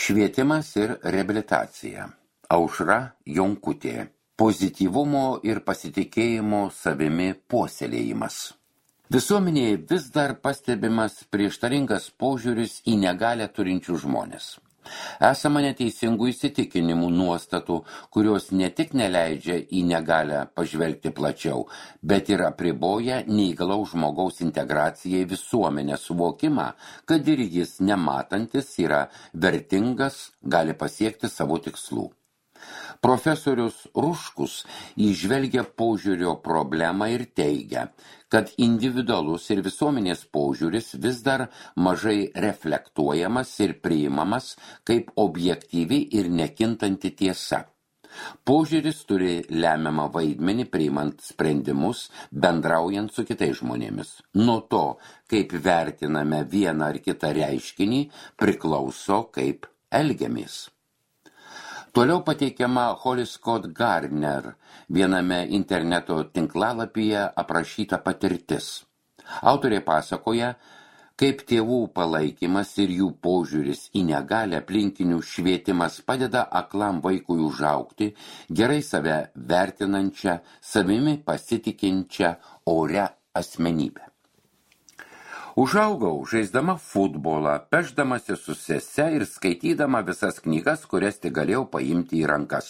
Švietimas ir reabilitacija. Aušra Jonkutė. Pozityvumo ir pasitikėjimo savimi puoselėjimas. Visuomenėje vis dar pastebimas prieštaringas požiūris į negalią turinčių žmonės. Esama neteisingų įsitikinimų nuostatų, kurios ne tik neleidžia į negalią pažvelgti plačiau, bet ir apriboja neįgalaus žmogaus integraciją į visuomenę suvokimą, kad ir jis nematantis yra vertingas, gali pasiekti savo tikslų. Profesorius Ruškus įžvelgia požiūrio problemą ir teigia, kad individualus ir visuomenės požiūris vis dar mažai reflektuojamas ir priimamas kaip objektyvi ir nekintanti tiesa. Požiūris turi lemiamą vaidmenį priimant sprendimus, bendraujant su kitais žmonėmis. Nuo to, kaip vertiname vieną ar kitą reiškinį, priklauso, kaip elgiamės. Toliau pateikiama Holly Scott Gardner viename interneto tinklalapyje aprašyta patirtis. Autorė pasakoja, kaip tėvų palaikymas ir jų požiūris į negalią aplinkinių švietimas padeda aklam vaikui užaugti, gerai save vertinančią, savimi pasitikinčią orią asmenybę. Užaugau žaisdama futbolą, pešdamasi su sese ir skaitydama visas knygas, kurias tik galėjau paimti į rankas.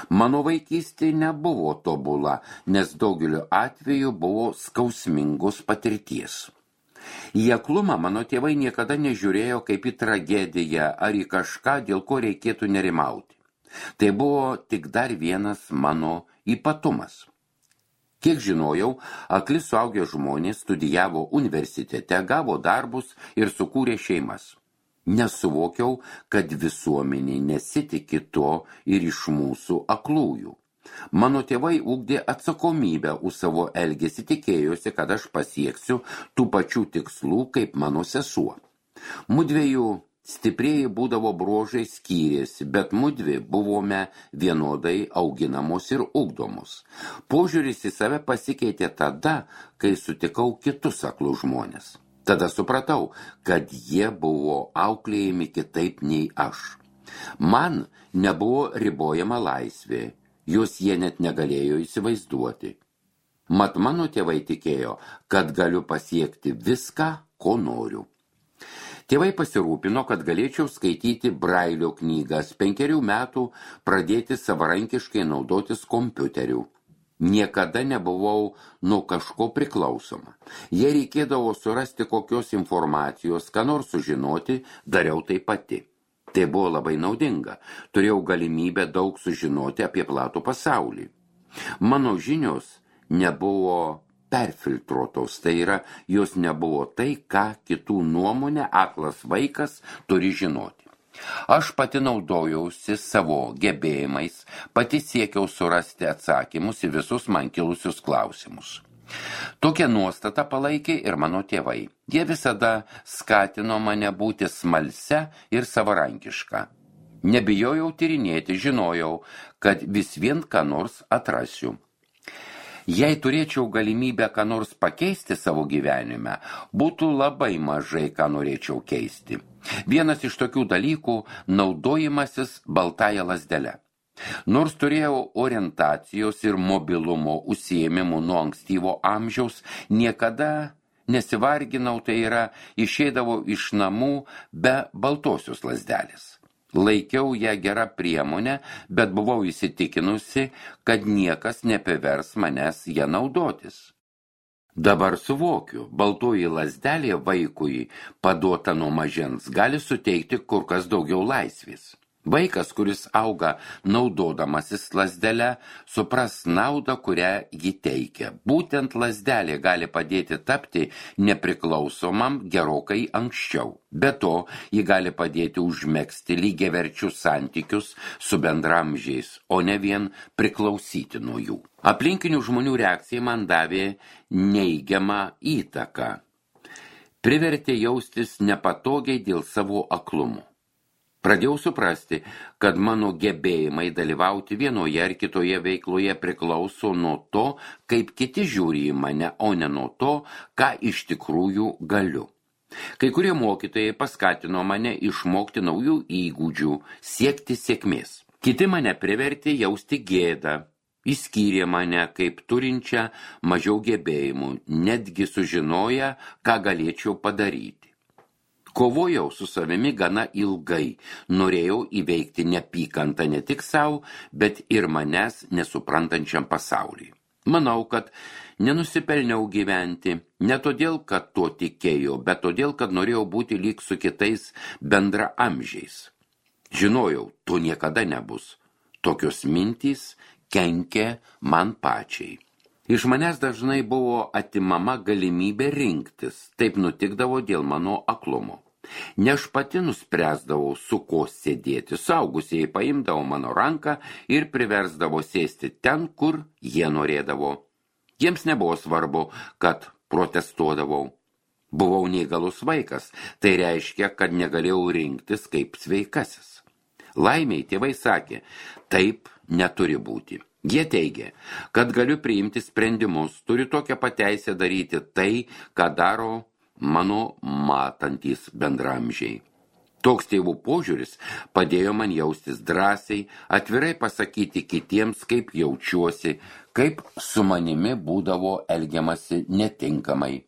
Mano vaikystė nebuvo tobula, nes daugeliu atveju buvo skausmingos patirties. Į aklumą mano tėvai niekada nežiūrėjo kaip į tragediją ar į kažką, dėl ko reikėtų nerimauti. Tai buvo tik dar vienas mano ypatumas. Kiek žinojau, akli suaugę žmonės studijavo universitete, gavo darbus ir sukūrė šeimas. Nesuvokiau, kad visuomenė nesitiki to ir iš mūsų aklųjų. Mano tėvai ugdė atsakomybę už savo elgesį, tikėjosi, kad aš pasieksiu tų pačių tikslų kaip mano sesuo. Mudviejų stiprieji būdavo bruožai skyrėsi, bet mudvi buvome vienodai auginamos ir ugdomos. Požiūris į save pasikeitė tada, kai sutikau kitus aklus žmonės. Tada supratau, kad jie buvo auklėjami kitaip nei aš. Man nebuvo ribojama laisvė, jos jie net negalėjo įsivaizduoti. Mat mano tėvai tikėjo, kad galiu pasiekti viską, ko noriu. Tėvai pasirūpino, kad galėčiau skaityti Brailio knygas, 5 metų pradėti savarankiškai naudotis kompiuteriu. Niekada nebuvau nuo kažko priklausoma. Jei reikėdavo surasti kokios informacijos, ką nors sužinoti, dariau tai pati. Tai buvo labai naudinga. Turėjau galimybę daug sužinoti apie platų pasaulį. Mano žinios nebuvo perfiltruotos, tai yra, jos nebuvo tai, ką kitų nuomonė aklas vaikas turi žinoti. Aš pati naudojausi savo gebėjimais, pati siekiau surasti atsakymus į visus man kilusius klausimus. Tokią nuostatą palaikė ir mano tėvai. Jie visada skatino mane būti smalsia ir savarankiška. Nebijojau tyrinėti, žinojau, kad vis vien ką nors atrasiu. Jei turėčiau galimybę ką nors pakeisti savo gyvenime, būtų labai mažai ką norėčiau keisti. Vienas iš tokių dalykų – naudojimasis baltąja lazdele. Nors turėjau orientacijos ir mobilumo užsiėmimų nuo ankstyvo amžiaus, niekada nesivarginau, tai yra išeidavau iš namų be baltosios lazdelės. Laikiau ją gerą priemonę, bet buvau įsitikinusi, kad niekas nepavers manęs ją naudotis. Dabar suvokiu, baltoji lazdelė vaikui paduota nuo mažens gali suteikti kur kas daugiau laisvės. Vaikas, kuris auga naudodamasis lazdele, supras naudą, kurią ji teikia. Būtent lazdelė gali padėti tapti nepriklausomam gerokai anksčiau. Be to, ji gali padėti užmegzti lygiaverčius santykius su bendramžiais, o ne vien priklausyti nuo jų. Aplinkinių žmonių reakcija man davė neigiamą įtaką. Privertė jaustis nepatogiai dėl savo aklumo. Pradėjau suprasti, kad mano gebėjimai dalyvauti vienoje ar kitoje veikloje priklauso nuo to, kaip kiti žiūri į mane, o ne nuo to, ką iš tikrųjų galiu. Kai kurie mokytojai paskatino mane išmokti naujų įgūdžių, siekti sėkmės. Kiti mane privertė jausti gėdą, išskyrė mane kaip turinčią mažiau gebėjimų, netgi sužinoję, ką galėčiau padaryti. Kovojau su savimi gana ilgai, norėjau įveikti neapykantą ne tik savo, bet ir manęs nesuprantančiam pasauliui. Manau, kad nenusipelniau gyventi, ne todėl, kad tuo tikėjau, bet todėl, kad norėjau būti lyg su kitais bendraamžiais. Žinojau, to niekada nebus. Tokios mintys kenkė man pačiai. Iš manęs dažnai buvo atimama galimybė rinktis, taip nutikdavo dėl mano aklumo. Ne aš pati nuspręsdavau, su ko sėdėti, suaugusieji paimdavo mano ranką ir priversdavo sėsti ten, kur jie norėdavo. Jiems nebuvo svarbu, kad protestuodavau. Buvau neįgalus vaikas, tai reiškia, kad negalėjau rinktis kaip sveikasis. Laimiai tėvai sakė, taip neturi būti. Jie teigė, kad galiu priimti sprendimus, turiu tokią pateisę daryti tai, ką daro mano matantys bendramžiai. Toks tėvų požiūris padėjo man jaustis drąsiai, atvirai pasakyti kitiems, kaip jaučiuosi, kaip su manimi būdavo elgiamasi netinkamai.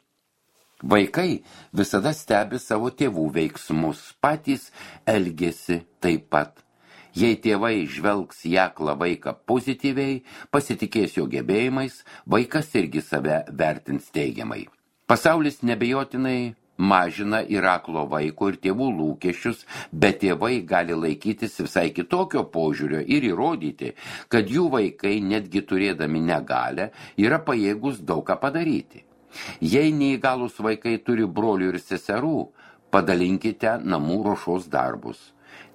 Vaikai visada stebi savo tėvų veiksmus, patys elgiasi taip pat. Jei tėvai žvelgs į aklą vaiką pozityviai, pasitikės jo gebėjimais, vaikas irgi save vertins teigiamai. Pasaulis nebejotinai mažina ir aklo vaiko ir tėvų lūkesčius, bet tėvai gali laikytis visai kitokio požiūrio ir įrodyti, kad jų vaikai, netgi turėdami negalią, yra pajėgus daug ką padaryti. Jei neįgalūs vaikai turi brolių ir seserų, padalinkite namų ruošos darbus.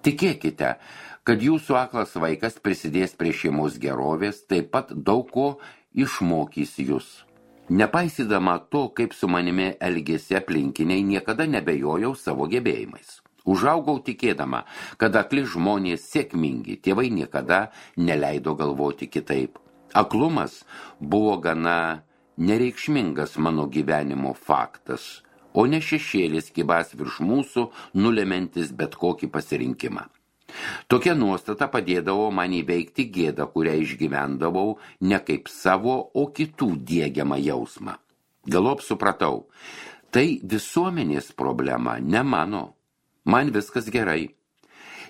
Tikėkite, kad jūsų aklas vaikas prisidės prie šeimos gerovės, taip pat daug ko išmokys jūs. Nepaisydama to, kaip su manimi elgėsi aplinkiniai, niekada nebejojau savo gebėjimais. Užaugau tikėdama, kad akli žmonės sėkmingi, tėvai niekada neleido galvoti kitaip. Aklumas buvo gana nereikšmingas mano gyvenimo faktas, o ne šešėlis kibas virš mūsų, nulementis bet kokį pasirinkimą. Tokia nuostata padėdavo man įveikti gėdą, kurią išgyvendavau ne kaip savo, o kitų diegiamą jausmą. Galop supratau, tai visuomenės problema, ne mano. Man viskas gerai.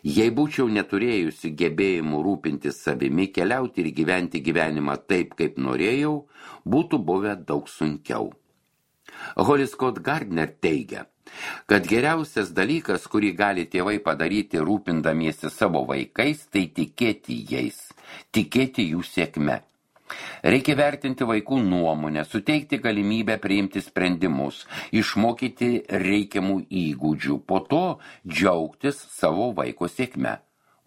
Jei būčiau neturėjusi gebėjimų rūpintis savimi, keliauti ir gyventi gyvenimą taip, kaip norėjau, būtų buvę daug sunkiau. Holly Scott Gardner teigia, kad geriausias dalykas, kurį gali tėvai padaryti rūpindamiesi savo vaikais, tai tikėti jais, tikėti jų sėkme. Reikia vertinti vaikų nuomonę, suteikti galimybę priimti sprendimus, išmokyti reikiamų įgūdžių, po to džiaugtis savo vaiko sėkme,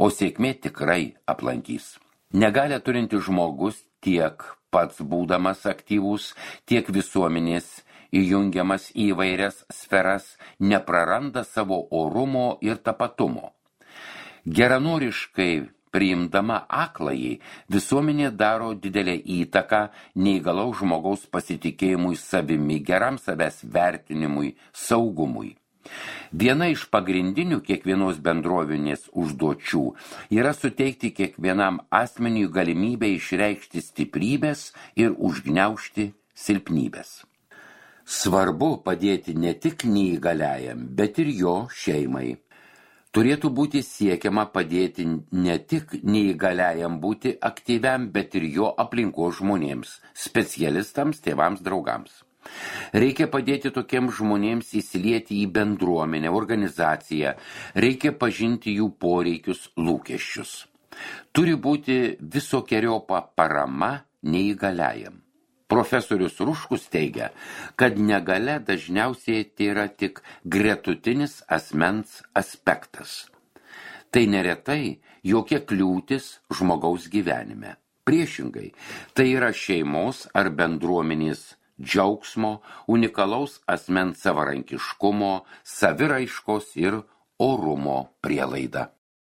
o sėkmė tikrai aplankys. Negalią turinti žmogus tiek pats būdamas aktyvus, tiek visuomenės įjungiamas į įvairias sferas, nepraranda savo orumo ir tapatumo. Geranoriškai priimdama akląjį, visuomenė daro didelę įtaką neįgalaus žmogaus pasitikėjimui savimi, geram savęs vertinimui, saugumui. Viena iš pagrindinių kiekvienos bendrovinės užduočių yra suteikti kiekvienam asmeniui galimybę išreikšti stiprybės ir užgniaužti silpnybės. Svarbu padėti ne tik neįgaliajam, bet ir jo šeimai. Turėtų būti siekiama padėti ne tik neįgaliajam būti aktyviam, bet ir jo aplinkos žmonėms, specialistams, tėvams, draugams. Reikia padėti tokiems žmonėms įsilieti į bendruomenę, organizaciją, reikia pažinti jų poreikius, lūkesčius. Turi būti visokeriopa parama neįgaliajam. Profesorius Ruškus teigia, kad negalia dažniausiai tai yra tik gretutinis asmens aspektas. Tai neretai jokia kliūtis žmogaus gyvenime. Priešingai, tai yra šeimos ar bendruomenės džiaugsmo, unikalaus asmens savarankiškumo, saviraiškos ir orumo prielaida.